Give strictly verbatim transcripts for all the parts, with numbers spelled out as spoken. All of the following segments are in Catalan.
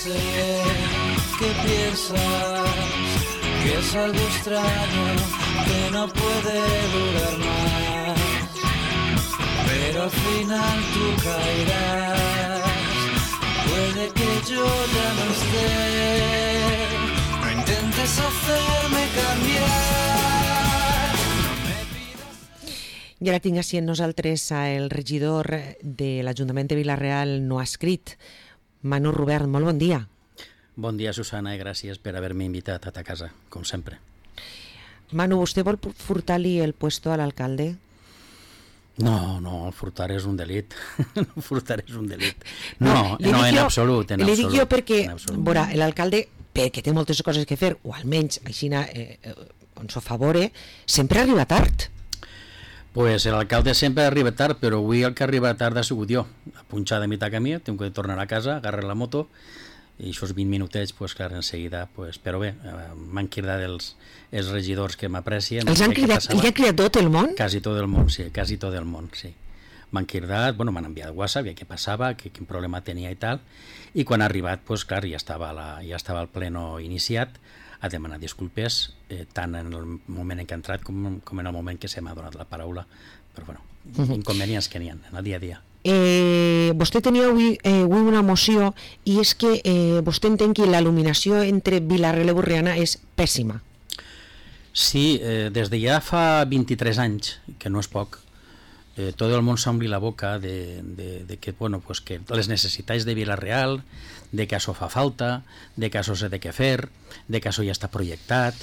sé que piensas que es algo extraño, que no puede durar más, pero al final tú caerás. Puede que yo ya no esté, no intentes hacerme cambiar. I ara tinc així amb nosaltres el regidor de l'Ajuntament de Vila-real, no ha escrit, Manu Rubert. Molt bon dia. Bon dia, Susana, i gràcies per haver-me invitat a ta casa, com sempre. Manu, vostè vol furtar-li el puesto a l'alcalde? No, no, el furtar és un delit. El furtar és un delit. No, no, no en absolut, en li absolut. Li dic jo perquè, veurà, l'alcalde, perquè té moltes coses que fer, o almenys així eh, on s'ho favore, sempre arriba tard. Pues l'alcalde sempre arriba tard, però avui el que arriba tard ha sigut jo. A punxar de mitjà camí, tinc que tornar a casa, agarrar la moto, i aquests vint minutets, pues, clar, en seguida, pues, però bé, m'han cridat els, els regidors que m'aprecien. Els han cridat, els ha cridat tot el món? Quasi tot el món, sí, quasi tot el món, sí. M'han cridat, bueno, m'han enviat WhatsApp, què passava, que, quin problema tenia i tal, i quan ha arribat, pues, clar, ja estava, la, ja estava el pleno iniciat, a demanar disculpes, eh, tant en el moment en què ha entrat com, com en el moment que se m'ha donat la paraula, però bueno, uh-huh. inconvenients que n'hi ha en el dia a dia. Eh, vostè tenia avui, eh, avui una moció i és que eh, vostè entén que la il·luminació entre Vila-real i Borriana és pèssima. Sí, eh, des de ja fa vint-i-tres anys, que no és poc, eh, tot el món s'ompli la boca de, de, de que, bueno, pues que les necessitats de Vila-real, de que això fa falta, de que això s'ha de què fer, de que això ja està projectat,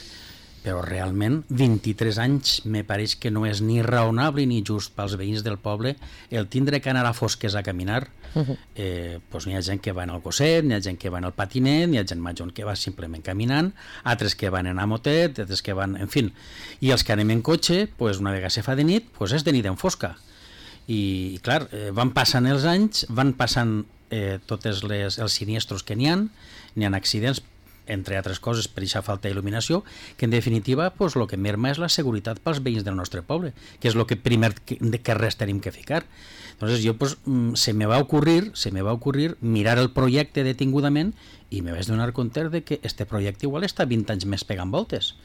però realment vint-i-tres anys me pareix que no és ni raonable ni just pels veïns del poble el tindre que anar a fosques a caminar. Uh-huh. eh, pues n'hi ha gent que va en el gosset, n'hi ha gent que va en el patinet, n'hi ha gent major que va simplement caminant, altres que van en a motet, altres que van, en fin, i els que anem en cotxe, pues una vegada se fa de nit, pues és de nit en fosca, i, i clar, eh, van passant els anys, van passant eh, tots els siniestros que n'hi ha, n'hi ha accidents, entre altres coses per aquesta falta d'il·luminació, que en definitiva pues, el que merma és la seguretat pels veïns del nostre poble, que és el que primer que, que res tenim que ficar. Entonces jo pues, se me va ocurrir, se me va ocurrir mirar el projecte detingudament i me vaig donar compte de que este projecte igual està vint anys més pegant voltes.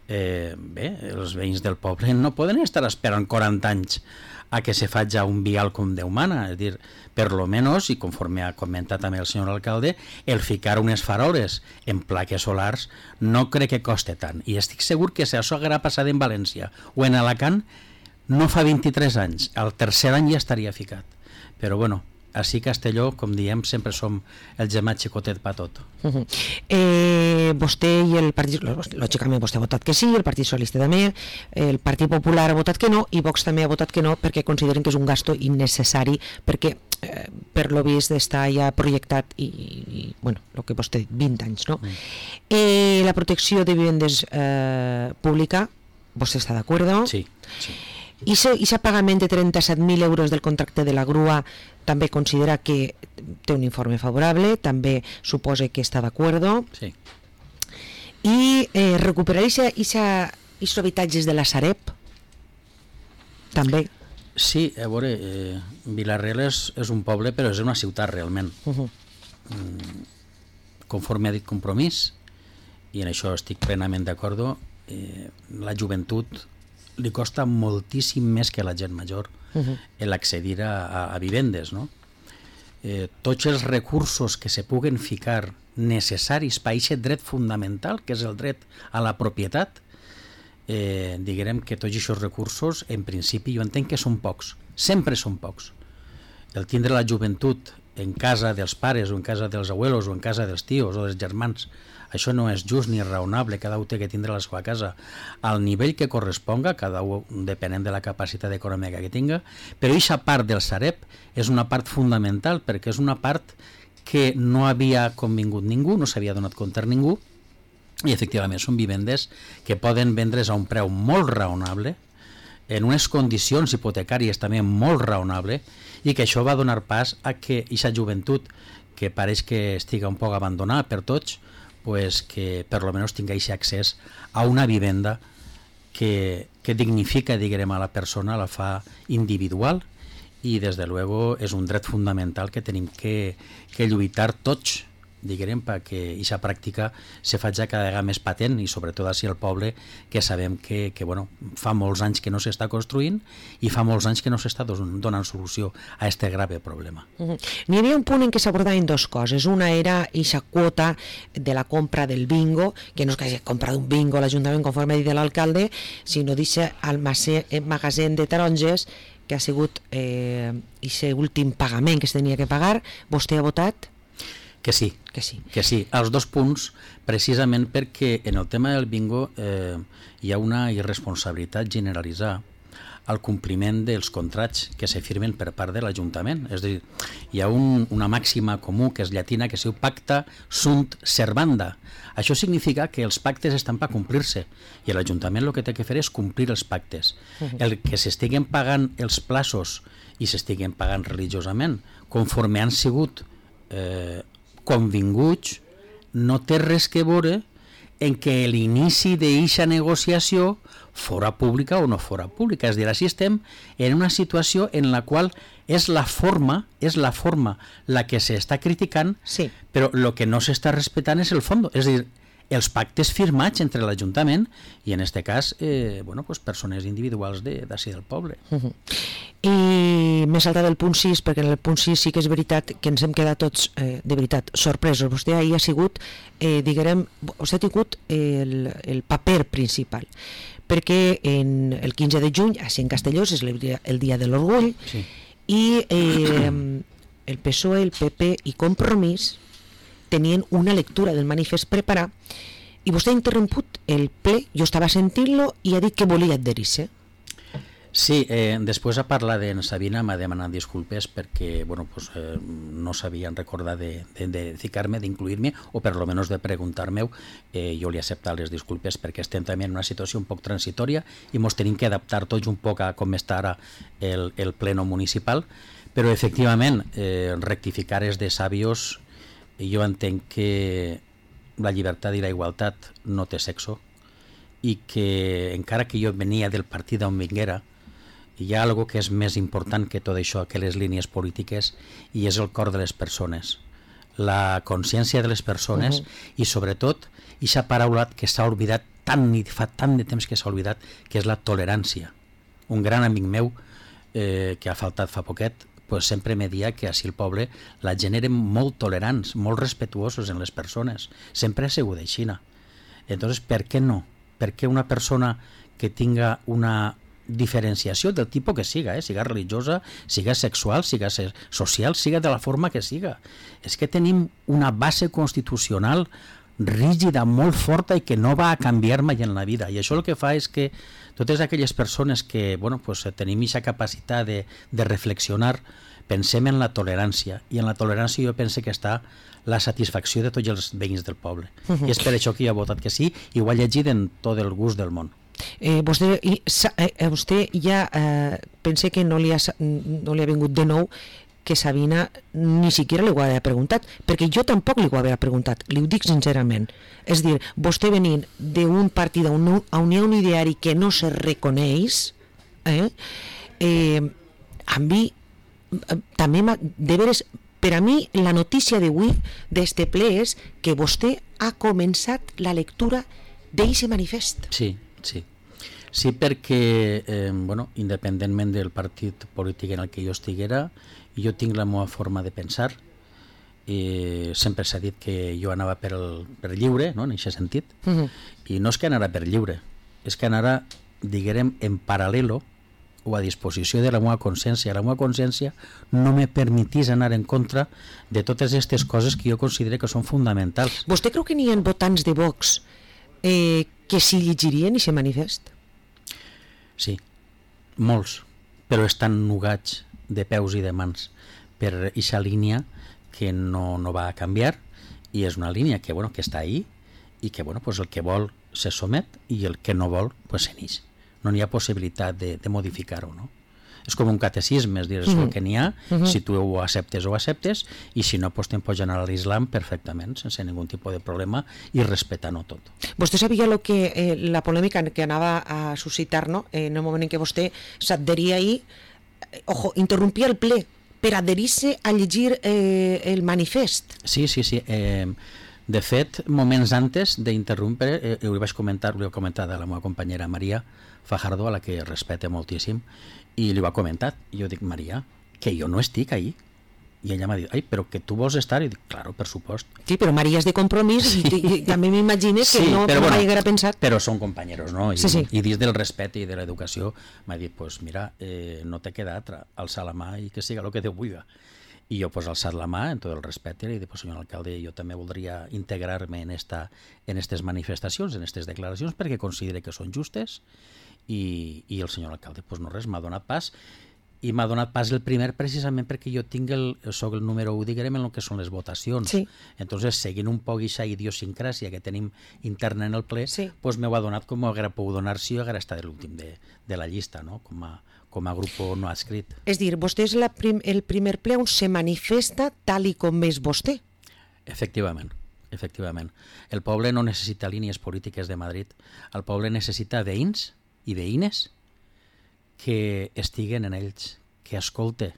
Eh, bé, els veïns del poble no poden estar esperant quaranta anys a que se faci un vial com Déu mana, és dir, per lo menos, i conforme ha comentat també el senyor alcalde, el ficar unes faroles en plaques solars no crec que coste tant, i estic segur que si això haguera passat en València o en Alacant no fa vint-i-tres anys, al tercer any ja estaria ficat, però bueno, així Castelló, com diem, sempre som el gemat xicotet pa tot. Uh-huh. eh, vostè i el partit, lògicament vostè ha votat que sí, el Partit Socialista també, el Partit Popular ha votat que no i Vox també ha votat que no perquè consideren que és un gasto innecessari perquè eh, per lo vist està ja projectat i, i bueno, el que vostè ha dit, vint anys, no? Mm. Eh, la protecció de vivendes eh, pública, vostè està d'acord? Sí, sí. I aquest pagament de trenta-set mil euros del contracte de la grua també considera que té un informe favorable, també suposa que està d'acord. Sí. I eh, recuperar aquests habitatges de la Sareb també. Sí, a veure, eh, Vila-real és, és un poble, però és una ciutat realment. Uh-huh. Mm, conforme ha dit Compromís, i en això estic plenament d'acord, eh, la joventut li costa moltíssim més que la gent major uh-huh. l'accedir a, a, a vivendes, no? Eh, tots els recursos que se puguen ficar necessaris per a aquest dret fundamental, que és el dret a la propietat, eh, diguem que tots aquests recursos, en principi, jo entenc que són pocs, sempre són pocs. El tindre la joventut en casa dels pares o en casa dels abuelos o en casa dels tios o dels germans, això no és just ni raonable, cada un té que tindre la seva casa al nivell que corresponga, cada un depenent de la capacitat econòmica que tinga, però aquesta part del Sareb és una part fundamental perquè és una part que no havia convingut ningú, no s'havia donat compte a ningú, i efectivament són vivendes que poden vendre's a un preu molt raonable, en unes condicions hipotecàries també molt raonable, i que això va donar pas a que aquesta joventut, que pareix que estiga un poc abandonada per tots, pues que per lo menos tingués accés a una vivenda que, que dignifica, diguem, a la persona, la fa individual, i des de luego és un dret fundamental que tenim que, que lluitar tots diguem, perquè aquesta pràctica se faci cada vegada més patent i sobretot així al poble, que sabem que, que bueno, fa molts anys que no s'està construint i fa molts anys que no s'està donant solució a aquest grave problema. Uh-huh. N'hi havia un punt en què s'abordaven dues coses. Una era aquesta quota de la compra del bingo, que no és que hagi comprat un bingo l'Ajuntament conforme ha dit l'alcalde, sinó d'aquest magatzem de taronges que ha sigut eh, aquest últim pagament que es tenia que pagar. Vostè ha votat? Que sí, que sí, que sí. Els dos punts, precisament perquè en el tema del bingo eh, hi ha una irresponsabilitat generalitzada al compliment dels contrats que se firmen per part de l'Ajuntament. És a dir, hi ha un, una màxima comú que és llatina que es diu pacta sunt servanda. Això significa que els pactes estan per complir-se i l'Ajuntament el que té que fer és complir els pactes. El que s'estiguen pagant els plaços i s'estiguen pagant religiosament conforme han sigut eh, convinguts no té res que veure en què l'inici d'eixa negociació fora pública o no fora pública. És a dir, així estem en una situació en la qual és la forma, és la forma la que s'està criticant, sí, però el que no s'està respectant és el fons. És a dir, els pactes firmats entre l'Ajuntament i en aquest cas eh, bueno, pues persones individuals d'ací de, del poble. Uh-huh. I m'he saltat el punt sis, perquè en el punt sis sí que és veritat que ens hem quedat tots eh, de veritat sorpresos. Vostè ahir ha sigut, eh, diguem, vostè ha tingut el, el paper principal, perquè en el quinze de juny, així en Castelló, és el dia, el dia de l'orgull, sí, i eh, el P S O E, el P P i Compromís tenien una lectura del manifest preparat i vostè ha interromput el ple, jo estava sentint-lo i ha dit que volia adherir-se. Sí, eh, després a parlar d'en Sabina m'ha demanat disculpes perquè bueno, pues, eh, no s'havien recordat de, de, de ficar-me, d'incluir-me o per lo menos de preguntar-me. Eh, jo li he acceptat les disculpes perquè estem també en una situació un poc transitòria i ens tenim que adaptar tots un poc a com està ara el, el pleno municipal, però efectivament eh, rectificar és de sabios. Jo entenc que la llibertat i la igualtat no té sexo i que encara que jo venia del partit on vinguera hi ha algo que és més important que tot això, que les línies polítiques, i és el cor de les persones, la consciència de les persones. Uh-huh. I sobretot aquesta paraula que s'ha oblidat tant i fa tant de temps que s'ha oblidat, que és la tolerància. Un gran amic meu eh, que ha faltat fa poquet pues sempre me dia que així el poble la gent eren molt tolerants, molt respetuosos en les persones, sempre ha sigut aixina. Entonces, per què no? Per què una persona que tinga una diferenciació del tipus que siga, eh? siga religiosa, siga sexual, siga social, siga de la forma que siga? És que tenim una base constitucional rígida, molt forta i que no va a canviar mai en la vida, i això el que fa és que totes aquelles persones que bueno, pues, tenim aquesta capacitat de, de reflexionar, pensem en la tolerància, i en la tolerància jo penso que està la satisfacció de tots els veïns del poble. Uh-huh. I és per això que jo he votat que sí, i ho he llegit en tot el gust del món. Eh, vostè, i, eh, vostè ja eh, pense que no li, ha, no li ha vingut de nou que Sabina ni siquiera li ho havia preguntat, perquè jo tampoc li ho havia preguntat, li ho dic sincerament. És dir, vostè venint d'un partit, d'un un ideari que no se reconeix, eh, eh, a mi també, de veres, per a mi la notícia d'avui d'este ple és que vostè ha començat la lectura d'eixe manifest. Sí, sí. Sí, perquè, eh, bueno, independentment del partit polític en el que jo estiguera, jo tinc la meva forma de pensar. I sempre s'ha dit que jo anava per, el, per lliure, no?, en aquest sentit. Uh-huh. I no és que anara per lliure, és que anara, diguem, en paral·lelo o a disposició de la meva consciència. La meva consciència no me permetís anar en contra de totes aquestes coses que jo considero que són fonamentals. Vostè creu que n'hi ha votants de Vox eh, que s'hi llegirien i se manifest? Sí, molts, però estan nugats de peus i de mans per aquesta línia que no, no va a canviar, i és una línia que, bueno, que està ahí i que bueno, pues el que vol se somet i el que no vol pues se n'ix. No n'hi ha possibilitat de, de modificar-ho, no? És com un catecisme, és dir, és el que n'hi ha, uh-huh. Si tu ho acceptes o acceptes, i si no, pues te'n pots anar a l'Islam perfectament, sense ningú tipus de problema, i respetant-ho tot. Vostè sabia lo que, eh, la polèmica que anava a suscitar, no?, en el moment en què vostè s'adheria ahir, ojo, interrompia el ple per adherir-se a llegir eh, el manifest. Sí, sí, sí. Eh, de fet, moments antes d'interrompre, eh, ho vaig comentar, ho he comentat a la meva companyera Maria Fajardo, a la que respecte moltíssim, i li ho ha comentat. I jo dic, Maria, que jo no estic ahí. I ella m'ha dit, ai, però que tu vols estar? I dic, claro, per supost. Sí, però Maria és de compromís, sí. i, i també m'imagines que sí, no, però, no bueno, m'haguera pensat. Però són companyeros, no? I, sí, sí. i dins del respecte i de l'educació m'ha dit, pues mira, eh, no te queda altra, alçar la mà i que siga el que Déu vulgui. I jo pues alçat la mà en tot el respecte i dic, pues senyor alcalde, jo també voldria integrar-me en esta, en aquestes manifestacions, en aquestes declaracions, perquè considere que són justes i, i el senyor alcalde, pues no res, m'ha donat pas i m'ha donat pas el primer precisament perquè jo tinc el, soc el número u, diguem, en el que són les votacions. Sí. Entonces, seguint un poc aquesta idiosincràsia que tenim interna en el ple, sí. pues m'ho ha donat com ho hauria pogut donar si jo haguera estat l'últim de, de la llista, no? com, a, com a grup no adscrit. És dir, vostè és la prim, el primer ple on se manifesta tal i com és vostè. Efectivament. Efectivament. El poble no necessita línies polítiques de Madrid, el poble necessita veïns i veïnes que estiguen en ells, que escolte,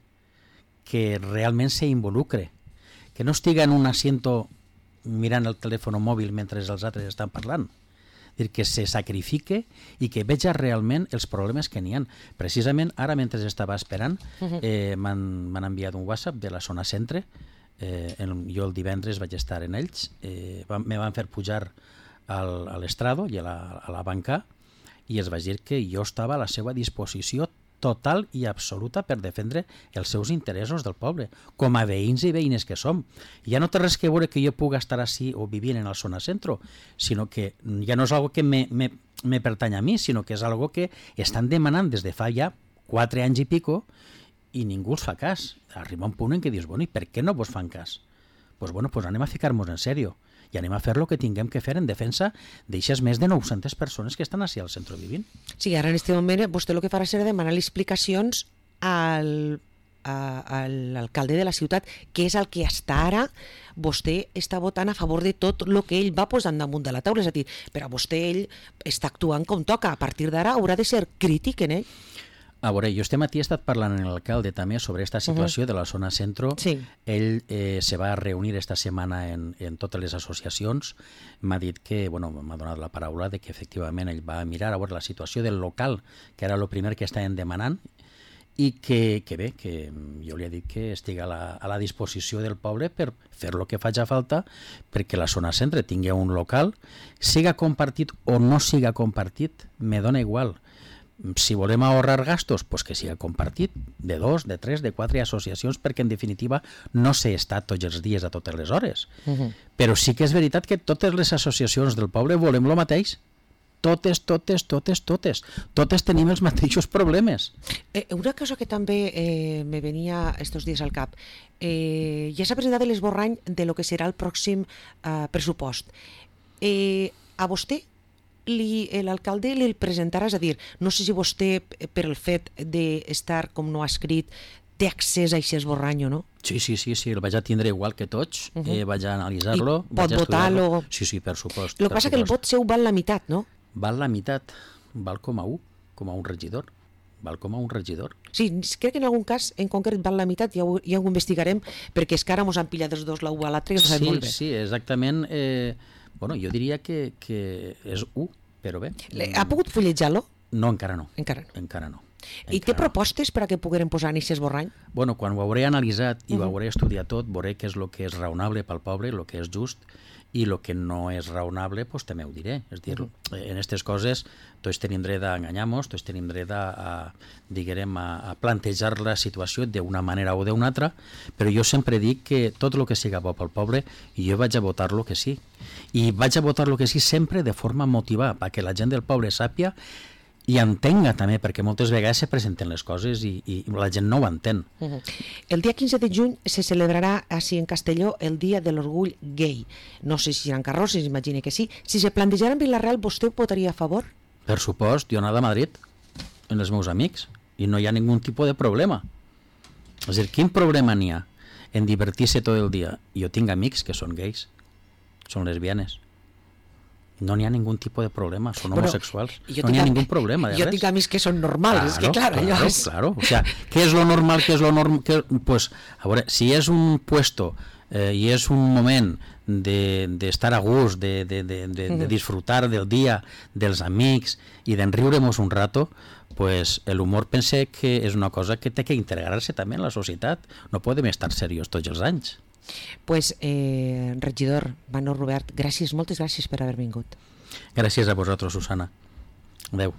que realment s'involucre, que no estiga en un asiento mirant el telèfon mòbil mentre els altres estan parlant, dir que se sacrifique i que veja realment els problemes que n'hi ha. Precisament ara, mentre estava esperant, eh, m'han enviat un WhatsApp de la zona centre, eh, el, jo el divendres vaig estar en ells, eh, van, me van fer pujar al, a l'estrado i a la, a la banca, i es va dir que jo estava a la seva disposició total i absoluta per defendre els seus interessos del poble, com a veïns i veïnes que som. Ja no té res que veure que jo pugui estar així o vivint en el zona centro, sinó que ja no és algo que me, me, me pertany a mi, sinó que és algo que estan demanant des de fa ja quatre anys i pico i ningú els fa cas. Arriba un punt en què dius, bueno, i per què no vos fan cas? Pues bueno, pues anem a ficar-nos en sèrio i anem a fer el que tinguem que fer en defensa d'aixes més de nou-centes persones que estan així al centre vivint. Sí, ara en aquest moment vostè el que farà serà demanar explicacions al, a, a l'alcalde de la ciutat, que és el que està ara vostè està votant a favor de tot el que ell va posant damunt de la taula. És a dir, per a vostè ell està actuant com toca. A partir d'ara haurà de ser crític en ell. A veure, jo este matí he estat parlant amb l'alcalde també sobre aquesta situació uh -huh. de la zona centro. Sí. Ell eh, se va reunir esta setmana en, en totes les associacions. M'ha dit que, bueno, m'ha donat la paraula de que efectivament ell va mirar a veure la situació del local, que era el primer que estaven demanant, i que, que bé, que jo li he dit que estigui a la, a la disposició del poble per fer el que faci falta perquè la zona centre tingui un local, siga compartit o no siga compartit, me dona igual. Si volem ahorrar gastos, pues que siga compartit de dos, de tres, de quatre associacions, perquè en definitiva no s'ha estat tots els dies a totes les hores. Uh -huh. Però sí que és veritat que totes les associacions del poble volem el mateix. Totes, totes, totes, totes. Totes tenim els mateixos problemes. Eh, una cosa que també eh, me venia estos dies al cap. Eh, ja s'ha presentat l'esborrany de lo que serà el pròxim eh, pressupost. Eh, a vostè l'alcalde li el presentarà, és a dir, no sé si vostè, per el fet d'estar com no ha escrit, té accés a aquest esborrany o no? Sí, sí, sí, sí, el vaig a tindre igual que tots, uh -huh. eh, vaig a analitzar-lo, pot votar-lo. Sí, sí, per supost. El que passa que el vot seu val la meitat, no? Val la meitat, val com a un, com a un regidor. Val com a un regidor. Sí, crec que en algun cas en concret val la meitat, ja ho, ja ho investigarem, perquè és que ara mos han pillat els dos la u a l'altre, que no sabem sí, molt bé. Sí, exactament. Eh, bueno, jo diria que, que és u, però bé. Ha pogut fullejar-lo? No, encara no. Encara no. Encara no. I encara té propostes per a que pogueren posar en aquest esborrany? Bueno, quan ho hauré analitzat i uh-huh. ho hauré estudiat tot, veuré què és el que és raonable pel poble, el que és just, i el que no és raonable, pues, també ho diré. És dir, uh -huh. en aquestes coses tots tenim dret a enganyar-nos, tots tenim dret a, a, diguem, a, a plantejar la situació d'una manera o d'una altra, però jo sempre dic que tot el que siga bo pel poble, i jo vaig a votar-lo que sí. I vaig a votar-lo que sí sempre de forma motivada, perquè la gent del poble sàpia i entenga també, perquè moltes vegades se presenten les coses i, i la gent no ho entén. Uh-huh. El dia quinze de juny se celebrarà així en Castelló el Dia de l'Orgull Gay. No sé si seran carrosses, imagine que sí. Si se plantejaran en Vila-real, vostè ho votaria a favor? Per supost, jo he anat a Madrid amb els meus amics i no hi ha ningun tipus de problema. És a dir, quin problema n'hi ha en divertir-se tot el dia? Jo tinc amics que són gais, són lesbianes. no n'hi ha ningú tipus de problema, són Bueno, homosexuals, jo no n'hi ha tinc a- ningú problema de Jo res. tinc amics que són normals, és que clar, claro, allò és... claro, o sea, ¿qué es lo normal? ¿Qué es lo normal? Pues, a veure, si és un puesto eh, i és un moment de, de estar a gust, de, de, de, de, de disfrutar del dia, dels amics i d'enriure-nos un rato, pues el humor pense que és una cosa que té que integrar-se també en la societat. No podem estar serios tots els anys. Pues, eh, regidor Manó Robert, gràcies, moltes gràcies per haver vingut. Gràcies a vosaltres, Susana. Adeu.